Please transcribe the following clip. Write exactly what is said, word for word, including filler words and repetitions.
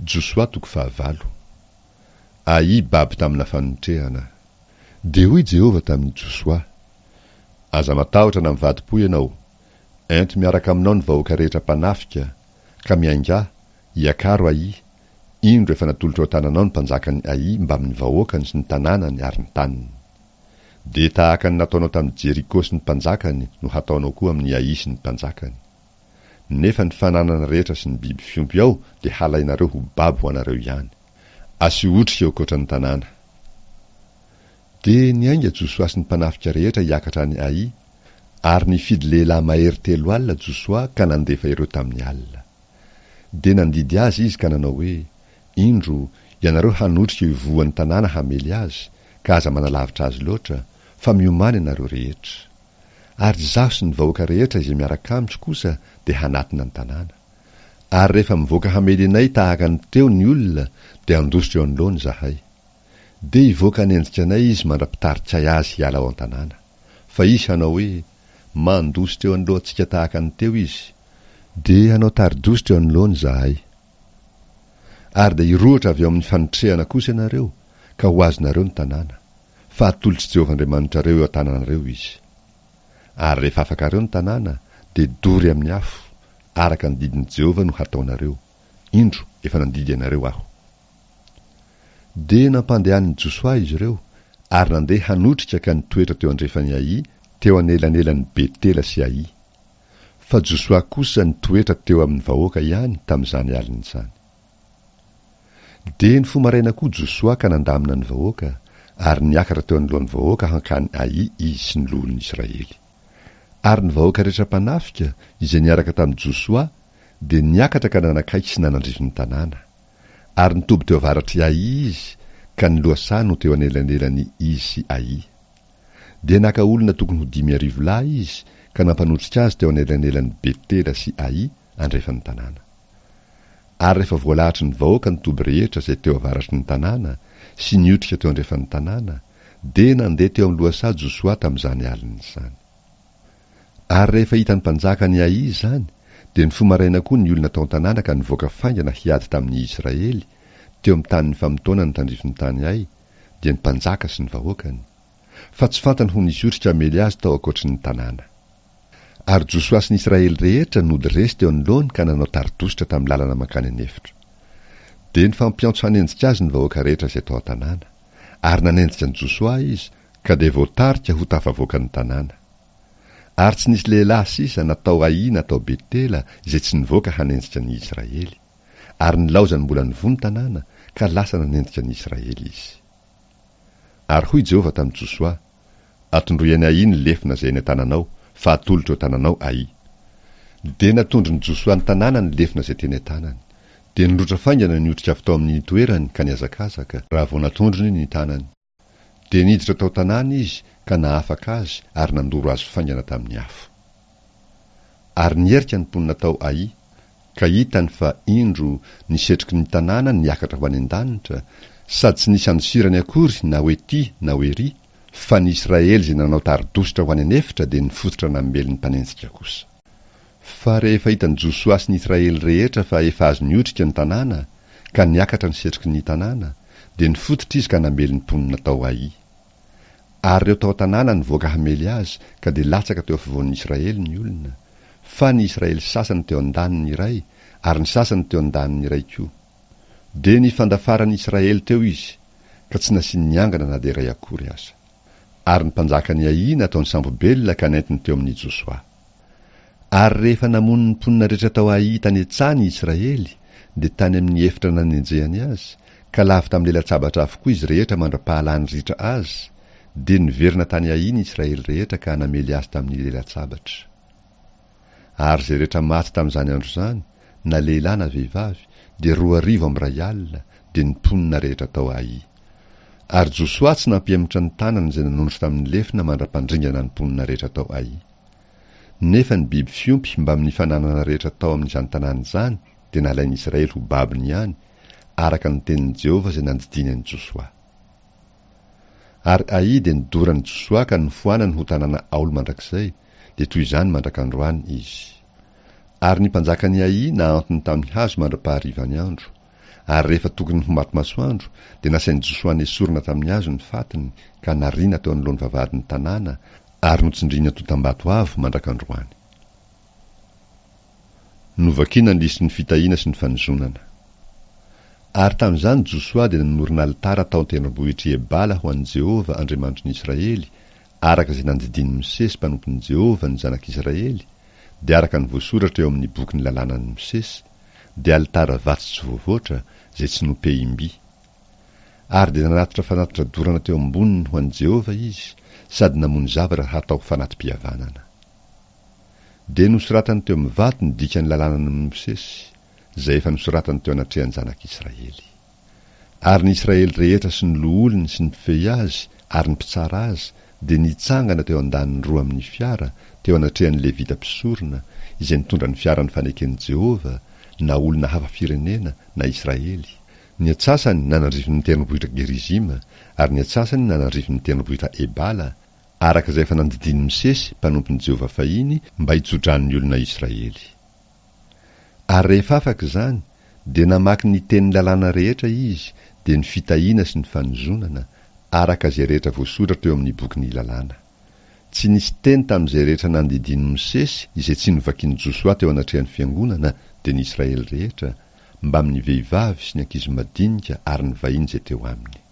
Josoa toko fahavalo. Ai babo tamina fanotrehana. Dia hoy Jehovah tamin'i Josoa, Aza matahotra na mivadi-po ianao. Ento miaraka aminao ny vahoaka rehetra mpanafika, ka miaingà, iakaro Ai. Indro efa natolotro eo an-tananao ny mpanjakan'i Ai mbamin'ny vahoakany sy ny tanànany ary ny taniny. Dia tahaka ny nataonao tamin'i Jeriko sy ny mpanjakany no hataonao koa amin'i Ai sy ny mpanjakany. Nefa ny fananana rehetra sy ny biby fiompy ao dia halainareo ho babo ho anareo ihany. Asio otrika eo ankoatran'ny tanàna. Dia niainga Josoa sy ny mpanafika rehetra hiakatra any Ai, ary nifidy lehilahy mahery telo alina Josoa ka nandefa ireo tamin'ny alina. Dia nandidy azy izy ka nanao hoe, Indro, ianareo hanotrika eo ivohon'ny tanàna hamely azy, ka aza manalavitra azy loatra, fa miomàna ianareo rehetra. Ary izaho sy ny vahoaka rehetra izay miaraka amiko kosa dia hanatona ny tanàna. Ary rehefa mivoaka hamely anay tahaka ny teo ny olona, dia handositra eo anoloany izahay. Dia hivoaka hanenjika anay izy mandra-pitarikay azy hiala ao an-tanàna. Fa izy hanao hoe, Mandositra eo anoloantsika tahaka ny teo izy. Dia hanao tari-dositra eo anoloany izahay. Ary dia hirohotra avy eo amin'ny fanotrehana kosa ianareo, ka ho azonareo ny tanàna. Fa atolotr'i Jehovah Andriamanitrareo eo an-tananareo izy. Ary rehefa afakareo ny tanàna, dia dory amin'ny afo, araka ny didin'i Jehovah no hataonareo. Indro, efa nandidy anareo aho. Dia nampandehanin'i Josoa izy ireo, ary nandeha hanotrika ka nitoetra teo andrefan'i Ai, teo anelanelan'i Betela sy Ai. Fa Josoa kosa nitoetra teo amin'ny vahoaka ihany tamin'izany alina izany. Dia nifoha maraina koa Josoa ka nandamina ny vahoaka, ary niakatra teo anoloan'ny vahoaka hankany Ai izy sy ny loholon'ny Israely. Ary ny vahoaka rehetra mpanafika, izay niaraka tamin'i Josoa, dia niakatra ka nanakaiky sy nanandrify ny tanàna. Ary nitoby teo avaratr'i Ai izy, ka ny lohasaha no teo anelanelan'i izy sy Ai. Dia naka olona tokony ho dimy arivo lahy izy, ka nampanotrika azy teo anelanelan'i Betela sy Ai, andrefan'ny tanàna. Ary rehefa voalahatry ny vahoaka ny toby rehetra izay teo avaratry ny tanàna, sy niotrika teo andrefan'ny tanàna, dia nandeha teo amin'ny lohasaha Josoa tamin'izany alina izany. Ary rehefa hitan'ny mpanjakan'i Ai izany, dia nifoha maraina koa ny olona tao an-tanàna ka nivoaka faingana hiady tamin'ny Israely, teo amin'ny tanin'ny famotoana ny tandrifin'ny tany Ai, dia ny mpanjaka sy ny vahoakany. Fa tsy fantany ho nisy otrika hamely azy tao ankoatry ny tanàna. Ary Josoa sy ny Israely rehetra nody resy teo anoloany ka nanao tari-dositra tamin'ny lalana mankany an'efitra. Dia nifampiantso hanenjika azy ny vahoaka rehetra izay tao an-tanàna. Ary nanenjika an'i Josoa izy, ka dia voatarika ho tafavoaka ny tanàna. Ary tsy nisy lehilahy sisa na tao Ai na tao Betela izay tsy nivoaka hanenjika ny Israely. Ary nilaozany mbola nivoha ny tanàna, ka lasa nanenjika ny Israely izy. Ary hoy Jehovah tamin'i Josoa, Atondroy an'i Ai ny lefona izay eny an-tananao, fa atolotro eo an-tananao Ai. Dia natondron'i Josoa ny tanàna ny lefona izay teny an-tanany. Dia nirohotra faingana ny otrika avy tao amin'ny toerany ka nihazakazaka, raha vao natondrony ny tanany. Dia niditra tao an-tanàna izy ka nahafaka azy ary nandoro azy faingana tamin'ny afo. Ary niherika ny mponina tao Ai, ka hitany fa, indro, ny setroky ny tanàna niakatra ho any an-danitra, sady tsy nisy andosirany akory na ho ety na ho ery, fa ny Israely izay nanao tari-dositra ho any an'efitra dia nifototra namely ny mpanenjika kosa. Fa rehefa hitan'i Josoa sy ny Israely rehetra fa efa azony otrika ny tanàna, ka niakatra ny setroky ny tanàna, dia nifototra izy ka namely ny mponina tao Ai. Ary ireo tao an-tanàna nivoaka hamely azy, ka dia latsaka teo afovoan'ny Israely ny olona, fa ny Israely sasany teo an-daniny iray, ary ny sasany teo an-daniny iray koa. Dia nifandafaran'ny Israely teo izy, ka tsy nasiany niangana na dia iray akory aza. Ary ny mpanjakan'i Ai nataony sambo-belona ka nentiny teo amin'i Josoa. Ary rehefa namono ny mponina rehetra tao Ai tany an-tsaha ny Israely, dia tany amin'ny efitra nanenjehany azy, ka lavo tamin'ny lela-tsabatra avokoa izy rehetra mandra-pahalany ritra azy, dia niverina tany Ai ny Israely rehetra ka namely azy tamin'ny lela-tsabatra. Ary izay rehetra maty tamin'izany andro izany, na lehilahy na vehivavy, dia roa arivo amby iray alina, dia ny mponina rehetra tao Ai. Ary Josoa tsy nampihemotra ny tanany izay nanondro tamin'ny lefona mandra-pandringana ny mponina rehetra tao Ai. Nefa ny biby fiompy mbamin'ny fananana rehetra tao amin'izany tanàna izany dia nalain'ny Israely ho babony ihany, araka ny tenin'i Jehovah izay nandidiany an'i Josoa. Ary Ai dia nodoran'i Josoa ka nofoanany ho tanàna aolo mandrakizay, dia toy izany mandrak'androany izy. Ary ny mpanjakan'i Ai nahantony tamin'ny hazo mandra-paharivan'ny andro, Ary rehefa tokony ho maty masoandro, dia nasain'i Josoa nesorina tamin'ny hazo ny fatiny, ka nariana teo anoloan'ny vavahadin'ny tanàna, ary notsindriana antontam-bato avo mandrak'androany. Novakina ny lisitry ny fitahiana sy ny fanozonana. Ary tamin'izany Josoa dia nanorina alitara tao an-tendrombohitr'i Ebala ho an'i Jehovah, Andriamanitry ny Israely, araka izay nandidian'i Mosesy mpanompon'i Jehovah ny zanak'Israely, dia araka ny voasoratra eo amin'ny bokin'ny lalànan'i Mosesy, dia alitara vato tsy voavoatra, izay tsy nopehim-by. Ary dia nanatitra fanatitra dorana teo amboniny ho an'i Jehovah izy, sady namono zavatra hatao fanati-pihavanana. Dia nosoratany teo amin'ny vato ny dikan'ny lalànan'i Mosesy, izay efa nosoratany teo anatrehan'ny zanak'Israely. Ary ny Israely rehetra sy ny loholony sy ny mpifehy azy ary ny mpitsara azy dia nitsangana teo an-daniny roa amin'ny fiara, teo anatrehan'ny Levita mpisorona, izay nitondra ny fiaran'ny faneken'i Jehovah, na olona hafa firenena na Israely, ny antsasany nanandrify ny tendrombohitra Gerizima, ary ny antsasany nanandrify ny tendrombohitra Ebala, araka izay efa nandidian'i Mosesy, mpanompon'i Jehovah fahiny, mba hitso-drano ny olona Israely. Ary rehefa afaka izany, dia namaky ny tenin'ny lalàna rehetra izy, dia ny fitahiana sy ny fanozonana, araka izay rehetra voasoratra eo amin'ny bokin'ny lalàna. Tsy nisy teny tamin'izay rehetra nandidian'i Mosesy izay tsy novakin'i Josoa teo anatrehan'ny fiangonana, dia ny Israely rehetra, mbamin'ny vehivavy sy ny ankizy madinika ary ny vahiny izay teo aminy.